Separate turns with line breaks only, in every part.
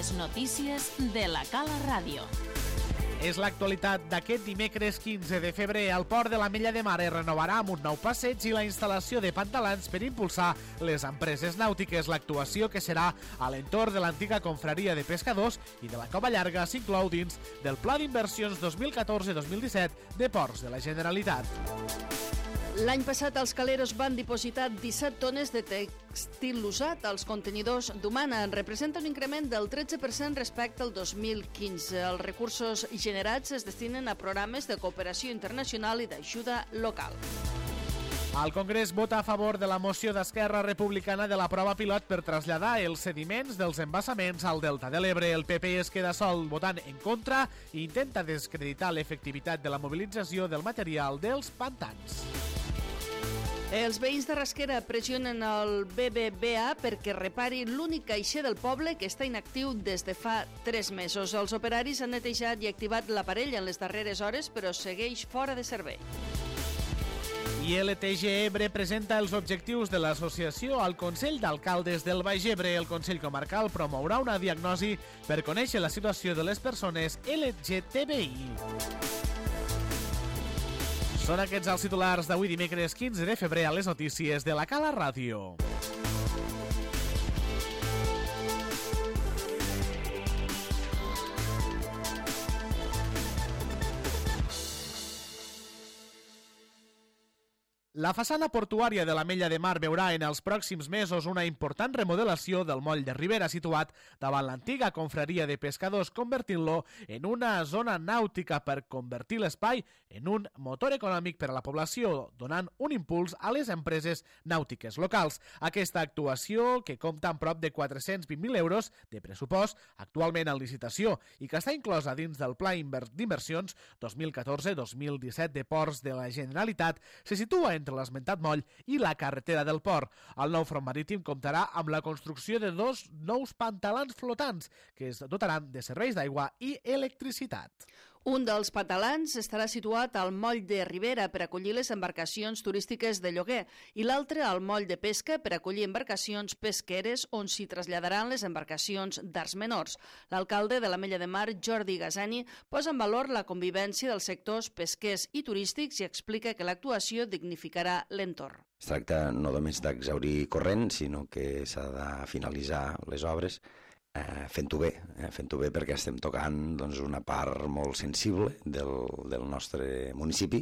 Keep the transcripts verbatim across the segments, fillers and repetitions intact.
Les notícies de la Cala Ràdio.
És l'actualitat d'aquest dimecres quinze de febrer. El port de l'Ametlla de Mar es renovarà amb un nou passeig i la instal·lació de pantalans per impulsar les empreses nàutiques. L'actuació, que serà a l'entorn de l'antiga confraria de pescadors i de la Cova Llarga, s'inclou dins del Pla d'Inversions dos mil catorze dos mil disset de Ports de la Generalitat.
L'any passat els caleros van dipositar disset tones de tèxtil usat als contenidors d'Humana. Representa un increment del tretze per cent respecte al dos mil quinze. Els recursos generats es destinen a programes de cooperació internacional i d'ajuda local.
El Congrés vota a favor de la moció d'Esquerra Republicana de la prova pilot per traslladar els sediments dels embassaments al Delta de l'Ebre. El P P es queda sol votant en contra i intenta descreditar l'efectivitat de la mobilització del material dels pantans.
Els veïns de Rasquera pressionen el B B V A perquè repari l'únic caixer del poble que està inactiu des de fa tres mesos. Els operaris han netejat i activat l'aparell en les darreres hores, però segueix fora de servei.
I L T G Ebre presenta els objectius de l'associació al Consell d'Alcaldes del Baix Ebre. El Consell Comarcal promourà una diagnosi per conèixer la situació de les persones L G T B I. Són aquests els titulars d'avui dimecres quinze de febrer a les notícies de la Cala Ràdio. La façana portuària de l'Ametlla de Mar veurà en els pròxims mesos una important remodelació del moll de Ribera, situat davant l'antiga confraria de pescadors, convertint-lo en una zona nàutica per convertir l'espai en un motor econòmic per a la població, donant un impuls a les empreses nàutiques locals. Aquesta actuació, que compta amb prop de quatre-cents vint mil euros de pressupost, actualment en licitació, i que està inclosa dins del Pla d'Inversions dos mil catorze dos mil disset de Ports de la Generalitat, se situa entre l'esmentat moll i la carretera del port. El nou front marítim comptarà amb la construcció de dos nous pantalans flotants que es dotaran de serveis d'aigua i electricitat.
Un dels pantalans estarà situat al moll de Ribera per acollir les embarcacions turístiques de lloguer i l'altre al moll de pesca per acollir embarcacions pesqueres on s'hi traslladaran les embarcacions d'arts menors. L'alcalde de l'Ametlla de Mar, Jordi Gasani, posa en valor la convivència dels sectors pesquers i turístics i explica que l'actuació dignificarà l'entorn.
Es tracta no només d'exaurir corrent, sinó que s'ha de finalitzar les obres Eh, fent-ho bé, eh, fent-ho bé perquè estem tocant doncs, una part molt sensible del, del nostre municipi,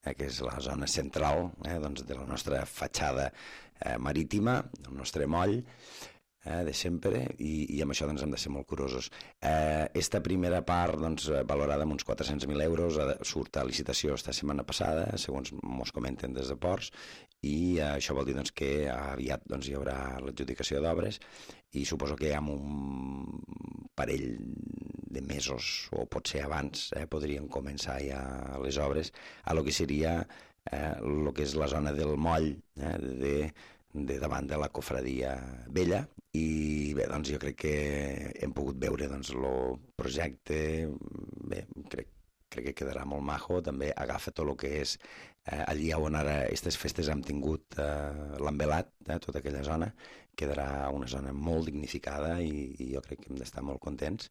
eh, que és la zona central eh, doncs, de la nostra fatxada eh, marítima, el nostre moll, eh, de sempre, i, i amb això doncs, hem de ser molt curosos. Eh, esta primera part, doncs, valorada amb uns quatre-cents mil euros, surt a licitació esta setmana passada, segons mos comenten des de Ports, i eh, això vol dir doncs, que aviat doncs, hi haurà l'adjudicació d'obres i suposo que amb un parell de mesos o potser abans eh, podrien començar ja les obres a lo que seria eh, lo que és la zona del moll eh, de, de davant de la cofradia vella. I bé, doncs jo crec que hem pogut veure doncs, el projecte, bé, crec crec que quedarà molt majo, també agafa tot el que és eh, allí on ara aquestes festes hem tingut eh, l'envelat, eh, tota aquella zona, quedarà una zona molt dignificada i, i jo crec que hem d'estar molt contents.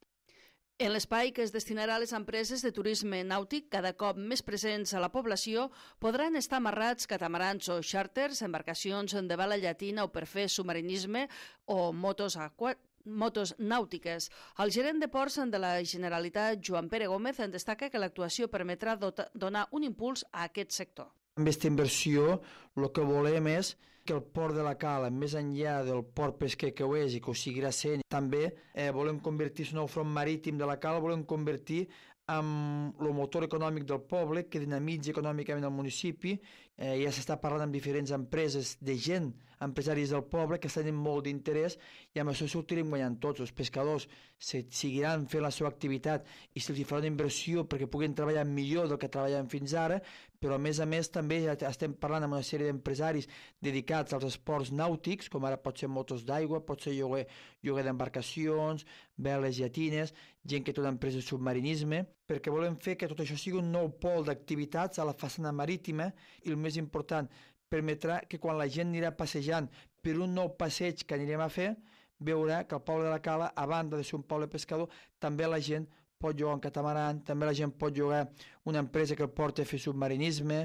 En l'espai que es destinarà a les empreses de turisme nàutic, cada cop més presents a la població, podran estar amarrats catamarans o xàrters, embarcacions de bala llatina o per fer submarinisme o motos aquàtiques, motos nàutiques. El gerent de Ports de la Generalitat, Joan Pere Gómez, en destaca que l'actuació permetrà donar un impuls a aquest sector.
Amb aquesta inversió el que volem és que el port de la Cala, més enllà del port pesquer que ho és i que ho seguirà sent, també eh, volem convertir el nou front marítim de la Cala, volem convertir amb el motor econòmic del poble que dinamitza econòmicament el municipi. Eh, ja s'està parlant amb diferents empreses de gent, empresaris del poble que estan en molt d'interès i amb això sortirem guanyant tots. Els pescadors se seguiran fent la seva activitat i se'ls farà una inversió perquè puguin treballar millor del que treballaven fins ara, però a més a més també ja estem parlant amb una sèrie d'empresaris dedicats als esports nàutics, com ara pot ser motos d'aigua, pot ser lloguer, lloguer d'embarcacions, veles llatines, gent que té una empresa de submarinisme, perquè volem fer que tot això sigui un nou pol d'activitats a la façana marítima i el més important, permetrà que quan la gent anirà passejant per un nou passeig que anirem a fer, veure que el poble de la Cala, a banda de ser un poble pescador, també la gent pot llogar un catamaran, també la gent pot llogar una empresa que el porti a fer submarinisme,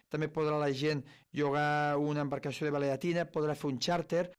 també podrà la gent llogar una embarcació de vela llatina, podrà fer un xàrter.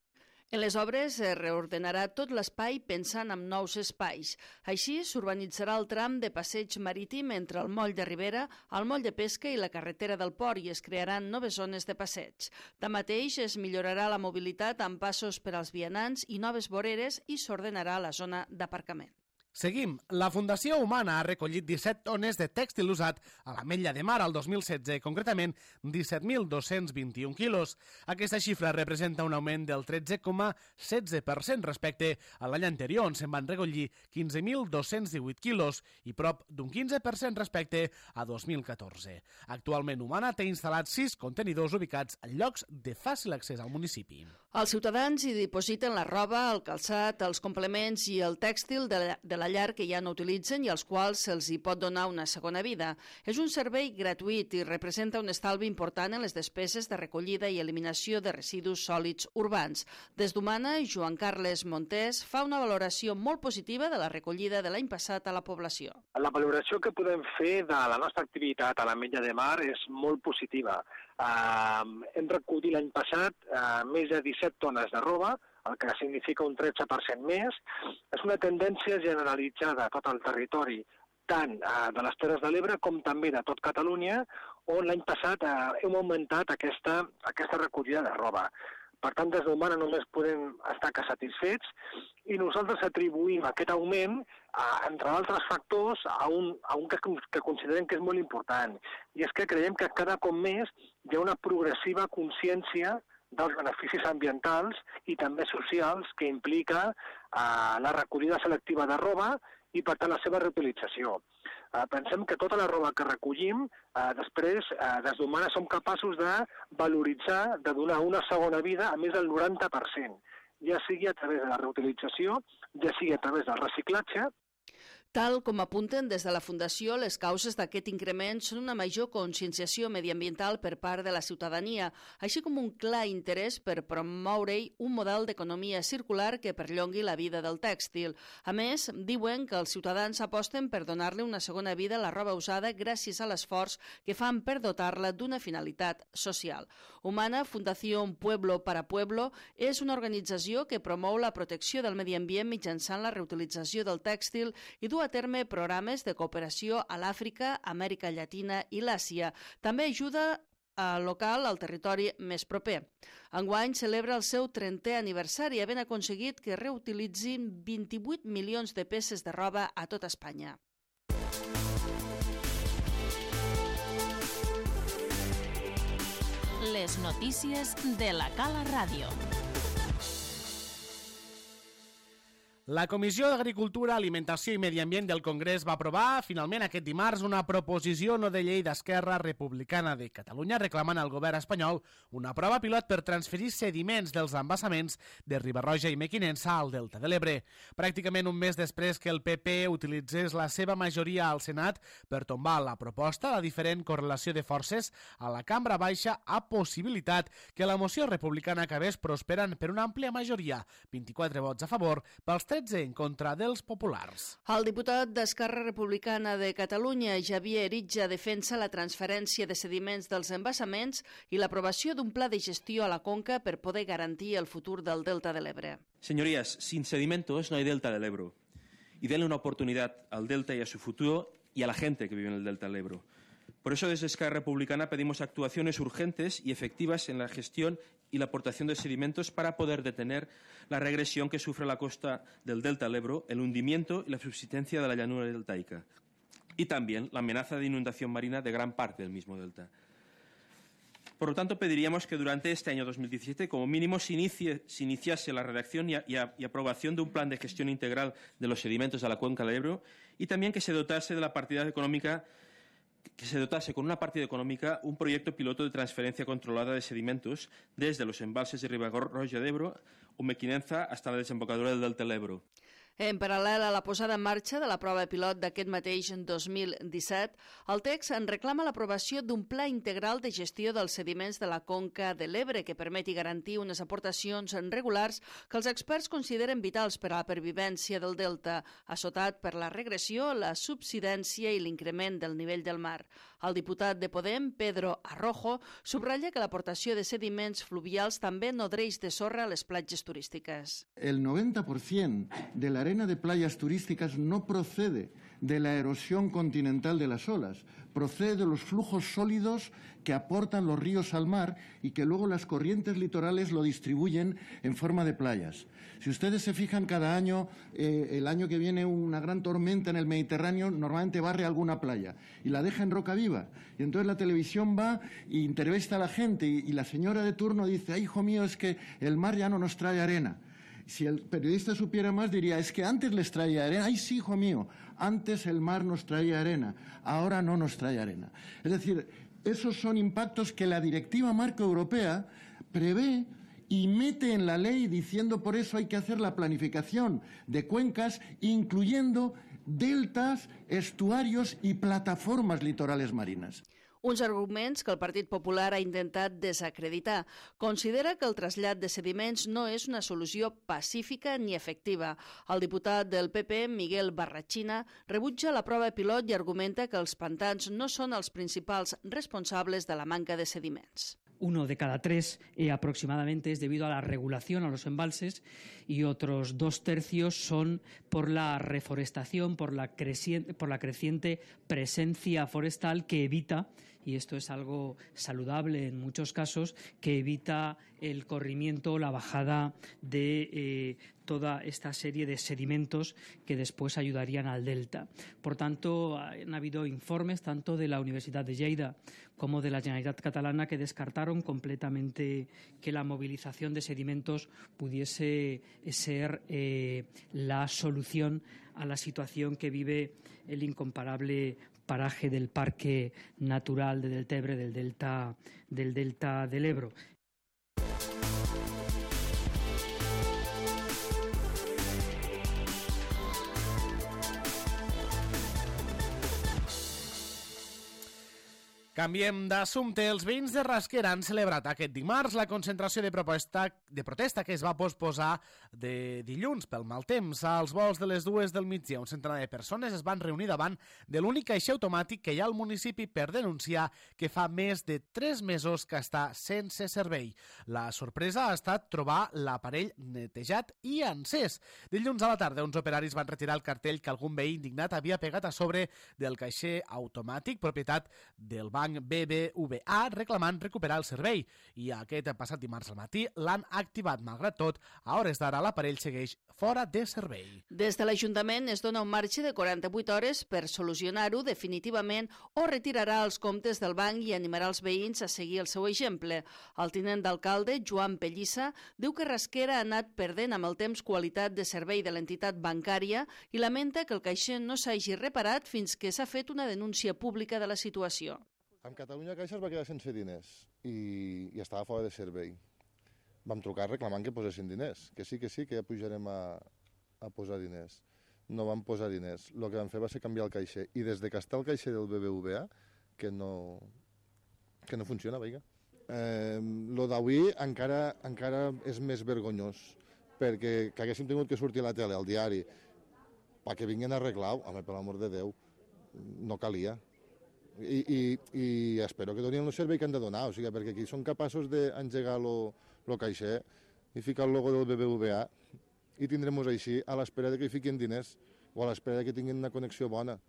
En les obres es reordenarà tot l'espai pensant en nous espais. Així s'urbanitzarà el tram de passeig marítim entre el moll de Ribera, el moll de pesca i la carretera del port i es crearan noves zones de passeig. Tanmateix, es millorarà la mobilitat amb passos per als vianants i noves voreres i s'ordenarà la zona d'aparcament.
Seguim. La Fundació Humana ha recollit disset tones de tèxtil usat a l'Ametlla de Mar al dos mil setze, concretament disset mil dos-cents vint-i-un quilos. Aquesta xifra representa un augment del tretze coma setze per cent respecte a l'any anterior, on se'n van recollir quinze mil dos-cents divuit quilos i prop d'un quinze per cent respecte a dos mil catorze. Actualment Humana té instal·lats sis contenidors ubicats en llocs de fàcil accés al municipi.
Els ciutadans hi dipositen la roba, el calçat, els complements i el tèxtil de la, de la llar que ja no utilitzen i als quals se'ls hi pot donar una segona vida. És un servei gratuït i representa un estalvi important en les despeses de recollida i eliminació de residus sòlids urbans. Des d'Humana, Joan Carles Montés fa una valoració molt positiva de la recollida de l'any passat a la població.
La valoració que podem fer de la nostra activitat a l'Ametlla de Mar és molt positiva. Uh, hem recollit l'any passat uh, més de disset tones de roba, el que significa un tretze per cent més. És una tendència generalitzada a tot el territori, tant uh, de les Terres de l'Ebre com també de tot Catalunya, on l'any passat uh, hem augmentat aquesta, aquesta recollida de roba. Per tant, des d'Humana només podem estar que satisfets i nosaltres atribuïm aquest augment, eh, entre altres factors, a un, a un que, que considerem que és molt important. I és que creiem que cada cop més hi ha una progressiva consciència dels beneficis ambientals i també socials que implica eh, la recollida selectiva de roba i, per tant, la seva reutilització. Eh, pensem que tota la roba que recollim, eh, després, eh, des d'Humana som capaços de valoritzar, de donar una segona vida a més del noranta per cent, ja sigui a través de la reutilització, ja sigui a través del reciclatge.
Tal com apunten des de la Fundació, les causes d'aquest increment són una major conscienciació mediambiental per part de la ciutadania, així com un clar interès per promoure-hi un model d'economia circular que perllongui la vida del tèxtil. A més, diuen que els ciutadans aposten per donar-li una segona vida a la roba usada gràcies a l'esforç que fan per dotar-la d'una finalitat social. Humana, Fundació Pueblo para Pueblo, és una organització que promou la protecció del medi ambient mitjançant la reutilització del tèxtil i du a terme programes de cooperació a l'Àfrica, Amèrica Llatina i l'Àsia. També ajuda a local al territori més proper. Enguany celebra el seu trentè aniversari, havent aconseguit que reutilitzin vint-i-vuit milions de peces de roba a tot Espanya.
Les notícies de la Cala Ràdio.
La Comissió d'Agricultura, Alimentació i Medi Ambient del Congrés va aprovar finalment aquest dimarts una proposició no de llei d'Esquerra Republicana de Catalunya reclamant al govern espanyol una prova pilot per transferir sediments dels embassaments de Riba-roja i Mequinensa al Delta de l'Ebre. Pràcticament un mes després que el P P utilitzés la seva majoria al Senat per tombar la proposta, la diferent correlació de forces a la Cambra Baixa ha possibilitat que la moció republicana acabés prosperant per una àmplia majoria, vint-i-quatre vots a favor, pels tretze en contra dels populars.
El diputat d'Esquerra Republicana de Catalunya, Javier Eritja, defensa la transferència de sediments dels embassaments i l'aprovació d'un pla de gestió a la conca per poder garantir el futur del Delta de l'Ebre.
Señorías, sin sedimentos no hay Delta del Ebro. Y denle una oportunidad al Delta y a su futuro y a la gente que vive en el Delta del Ebro. Por eso desde Esquerra Republicana pedimos actuaciones urgentes y efectivas en la gestión y la aportación de sedimentos para poder detener la regresión que sufre la costa del Delta del Ebro, el hundimiento y la subsistencia de la llanura deltaica, y también la amenaza de inundación marina de gran parte del mismo delta. Por lo tanto, pediríamos que durante este año dos mil diecisiete, como mínimo, se, inicie, se iniciase la redacción y, a, y, a, y aprobación de un plan de gestión integral de los sedimentos de la cuenca del Ebro y también que se dotase de la partida económica que se dotase con una partida económica un proyecto piloto de transferencia controlada de sedimentos desde los embalses de Riba-roja de Ebro o Mequinenza hasta la desembocadura del Delta del Ebro.
En paral·lel a la posada en marxa de la prova pilot d'aquest mateix dos mil disset, el text en reclama l'aprovació d'un pla integral de gestió dels sediments de la conca de l'Ebre que permeti garantir unes aportacions regulars que els experts consideren vitals per a la pervivència del delta, assotat per la regressió, la subsidència i l'increment del nivell del mar. El diputat de Podem, Pedro Arrojo, subratlla que l'aportació de sediments fluvials també nodreix de sorra les platges turístiques.
El noventa por ciento de la arena de playas turísticas no procede de la erosión continental de las olas, procede de los flujos sólidos que aportan los ríos al mar y que luego las corrientes litorales lo distribuyen en forma de playas. Si ustedes se fijan, cada año, eh, el año que viene una gran tormenta en el Mediterráneo, normalmente barre alguna playa y la deja en roca viva. Y entonces la televisión va e entrevista a la gente y, y la señora de turno dice: "Ay, hijo mío, es que el mar ya no nos trae arena". Si el periodista supiera más, diría: es que antes les traía arena. ¡Ay, sí, hijo mío! Antes el mar nos traía arena, ahora no nos trae arena. Es decir, esos son impactos que la Directiva Marco Europea prevé y mete en la ley, diciendo por eso hay que hacer la planificación de cuencas, incluyendo deltas, estuarios y plataformas litorales marinas.
Uns arguments que el Partit Popular ha intentat desacreditar. Considera que el trasllat de sediments no és una solució pacífica ni efectiva. El diputat del P P, Miguel Barrachina, rebutja la prova pilot i argumenta que els pantans no són els principals responsables de la manca de sediments.
Uno de cada tres eh, aproximadamente es debido a la regulación a los embalses y otros dos tercios son por la reforestación, por la, creciente, por la creciente presencia forestal que evita, y esto es algo saludable en muchos casos, que evita el corrimiento, la bajada de eh, toda esta serie de sedimentos que después ayudarían al delta. Por tanto, han habido informes tanto de la Universidad de Lleida como de la Generalitat Catalana que descartaron completamente que la movilización de sedimentos pudiese ser eh, la solución a la situación que vive el incomparable paraje del Parque Natural de Deltebre, del delta, del delta del Ebro.
Canviem d'assumpte. Els veïns de Rasquera han celebrat aquest dimarts la concentració de, proposta, de protesta que es va posposar de dilluns pel mal temps. Als vols de les dues del migdia, un centenar de persones es van reunir davant de l'únic caixer automàtic que hi ha al municipi per denunciar que fa més de tres mesos que està sense servei. La sorpresa ha estat trobar l'aparell netejat i encès. Dilluns a la tarda, uns operaris van retirar el cartell que algun veí indignat havia pegat a sobre del caixer automàtic, propietat del banc B B V A, reclamant recuperar el servei. I aquest passat dimarts al matí l'han activat. Malgrat tot, a hores d'ara l'aparell segueix fora de servei.
Des de l'Ajuntament es dona un marge de quaranta-vuit hores per solucionar-ho definitivament o retirarà els comptes del banc i animarà els veïns a seguir el seu exemple. El tinent d'alcalde, Joan Pellissa, diu que Rasquera ha anat perdent amb el temps qualitat de servei de l'entitat bancària i lamenta que el caixer no s'hagi reparat fins que s'ha fet una denúncia pública de la situació.
Amb Catalunya Caixa es va quedar sense diners i, i estava fora de servei. Vam trucar reclamant que posessin diners, que sí, que sí, que ja pujarem a, a posar diners. No vam posar diners. El que vam fer va ser canviar el caixer. I des de que està el caixer del B B V A, que no, que no funciona, veiga. Eh, lo d'avui encara, encara és més vergonyós, perquè que haguéssim tingut que sortir a la tele, al diari, perquè vinguin a arreglar-ho, home, per l'amor de Déu, no calia. I, i, i espero que donin el servei que han de donar, o sigui, perquè aquí són capaços d'engegar el caixer i ficar el logo del B B V A i tindrem-nos així a l'espera que hi fiquin diners o a l'espera que tinguin una connexió bona.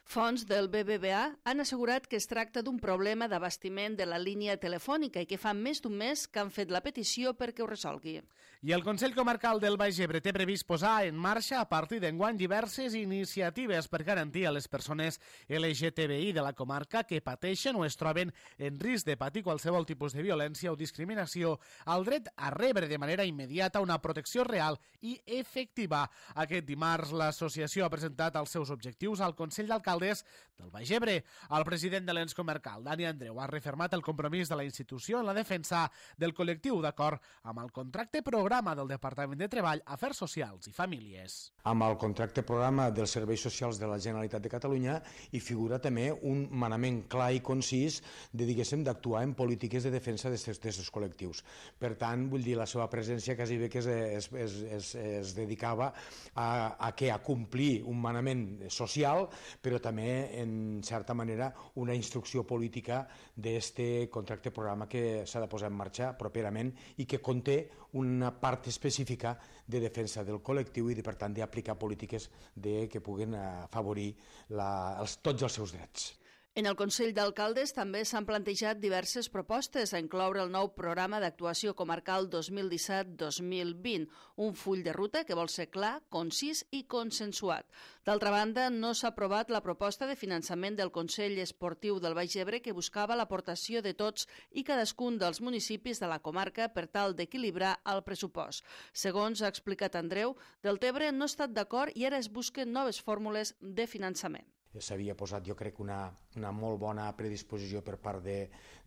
Fonts del B B V A han assegurat que es tracta d'un problema d'abastiment de la línia telefònica i que fa més d'un mes que han fet la petició perquè ho resolgui.
I el Consell Comarcal del Baix Ebre té previst posar en marxa a partir d'enguany diverses iniciatives per garantir a les persones L G T B I de la comarca que pateixen o es troben en risc de patir qualsevol tipus de violència o discriminació el dret a rebre de manera immediata una protecció real i efectiva. Aquest dimarts l'associació ha presentat els seus objectius al Consell d'Alcaldes d'alcaldes del Baix Ebre. El president de l'ens comarcal, Dani Andreu, ha refermat el compromís de la institució en la defensa del col·lectiu d'acord amb el contracte programa del Departament de Treball, Afers Socials i Famílies.
Amb el contracte programa dels serveis socials de la Generalitat de Catalunya hi figura també un manament clar i concís de, diguéssim, d'actuar en polítiques de defensa d'aquests col·lectius. Per tant, vull dir, la seva presència quasi bé que es, es, es, es, es dedicava a, a, què? A complir un manament social, però també, en certa manera, una instrucció política d'aquest contracte programa que s'ha de posar en marxa properament i que conté una part específica de defensa del col·lectiu i, de, per tant, d'aplicar polítiques de, que puguin afavorir la, els, tots els seus drets.
En el Consell d'Alcaldes també s'han plantejat diverses propostes a incloure el nou programa d'actuació comarcal dos mil disset dos mil vint, un full de ruta que vol ser clar, concís i consensuat. D'altra banda, no s'ha aprovat la proposta de finançament del Consell Esportiu del Baix Ebre que buscava l'aportació de tots i cadascun dels municipis de la comarca per tal d'equilibrar el pressupost. Segons ha explicat Andreu, Deltebre no ha estat d'acord i ara es busquen noves fórmules de finançament.
S'havia posat, jo crec, una, una molt bona predisposició per part de,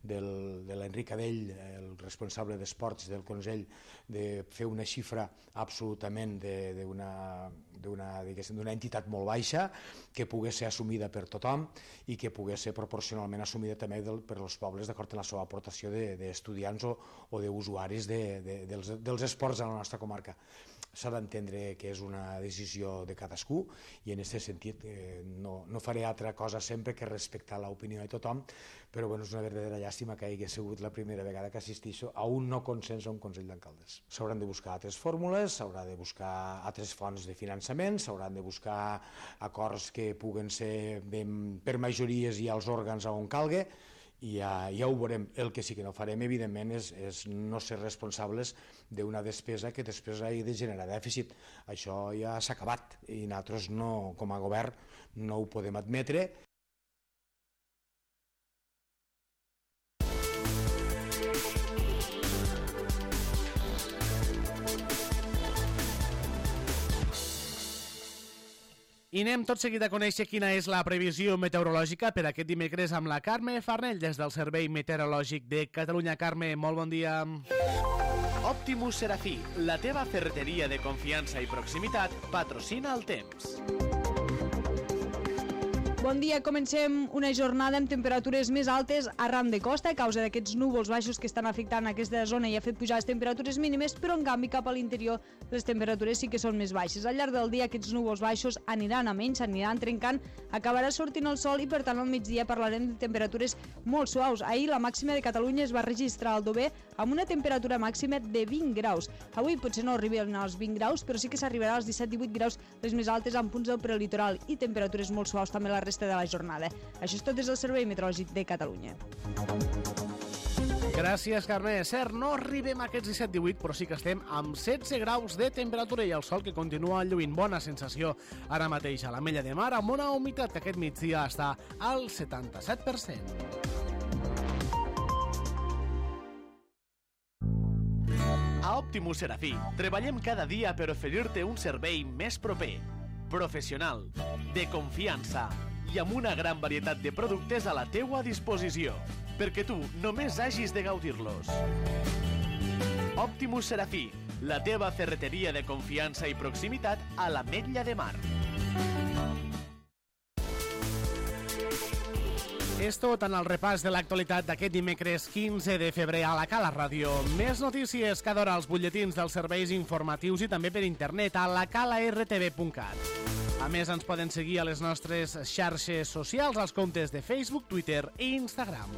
del, de l'Enric Adell, el responsable d'esports del Consell, de fer una xifra absolutament d'una d'una entitat molt baixa, que pogués ser assumida per tothom i que pogués ser proporcionalment assumida també del, per als pobles d'acord amb la seva aportació d'estudiants o, o d'usuaris de, de, dels, dels esports a la nostra comarca. S'ha d'entendre que és una decisió de cadascú i en aquest sentit eh, no, no faré altra cosa sempre que respectar l'opinió de tothom, però bueno, és una verdadera llàstima que hagi sigut la primera vegada que assisteixo a un no consens a un Consell d'Alcaldes. S'hauran de buscar altres fórmules, s'haurà de buscar altres fonts de finançament, s'hauran de buscar acords que puguen ser ben, per majories i als òrgans on calgui, i ja, ja ho veurem. El que sí que no farem, evidentment, és, és no ser responsables d'una despesa que després hagi de generar dèficit. Això ja s'ha acabat i nosaltres, no, com a govern, no ho podem admetre.
I anem tot seguit a conèixer quina és la previsió meteorològica per aquest dimecres amb la Carme Farnell des del Servei Meteorològic de Catalunya. Carme, molt bon dia. Optimus Serafí, la teva ferreteria de confiança i proximitat, patrocina el temps.
Bon dia, comencem una jornada amb temperatures més altes arran de costa a causa d'aquests núvols baixos que estan afectant aquesta zona i ha fet pujar les temperatures mínimes, però en canvi cap a l'interior les temperatures sí que són més baixes. Al llarg del dia aquests núvols baixos aniran a menys, aniran trencant, acabarà sortint el sol i per tant al migdia parlarem de temperatures molt suaus. Ahir la màxima de Catalunya es va registrar al Dover amb una temperatura màxima de vint graus. Avui potser no arriben als vint graus, però sí que s'arribarà als disset divuit graus, les més altes en punts del prelitoral i temperatures molt suaus també la resta de la jornada. Això és tot des del Servei Meteorològic de Catalunya.
Gràcies, Carme. És cert, no arribem a aquests disset divuit, però sí que estem amb setze graus de temperatura i el sol que continua lluint. Bona sensació ara mateix a l'Ametlla de Mar, amb una humitat que aquest migdia està al setanta-set per cent. A Optimus Serafí treballem cada dia per oferir-te un servei més proper, professional, de confiança i amb una gran varietat de productes a la teua disposició, perquè tu només hagis de gaudir-los. Optimus Serafí, la teva ferreteria de confiança i proximitat a l'Ametlla de Mar. És tot en el repàs de l'actualitat d'aquest dimecres quinze de febrer a la Cala Ràdio. Més notícies cada hora als butlletins dels serveis informatius i també per internet a la cala r t v punt cat. A més, ens poden seguir a les nostres xarxes socials, als comptes de Facebook, Twitter i Instagram.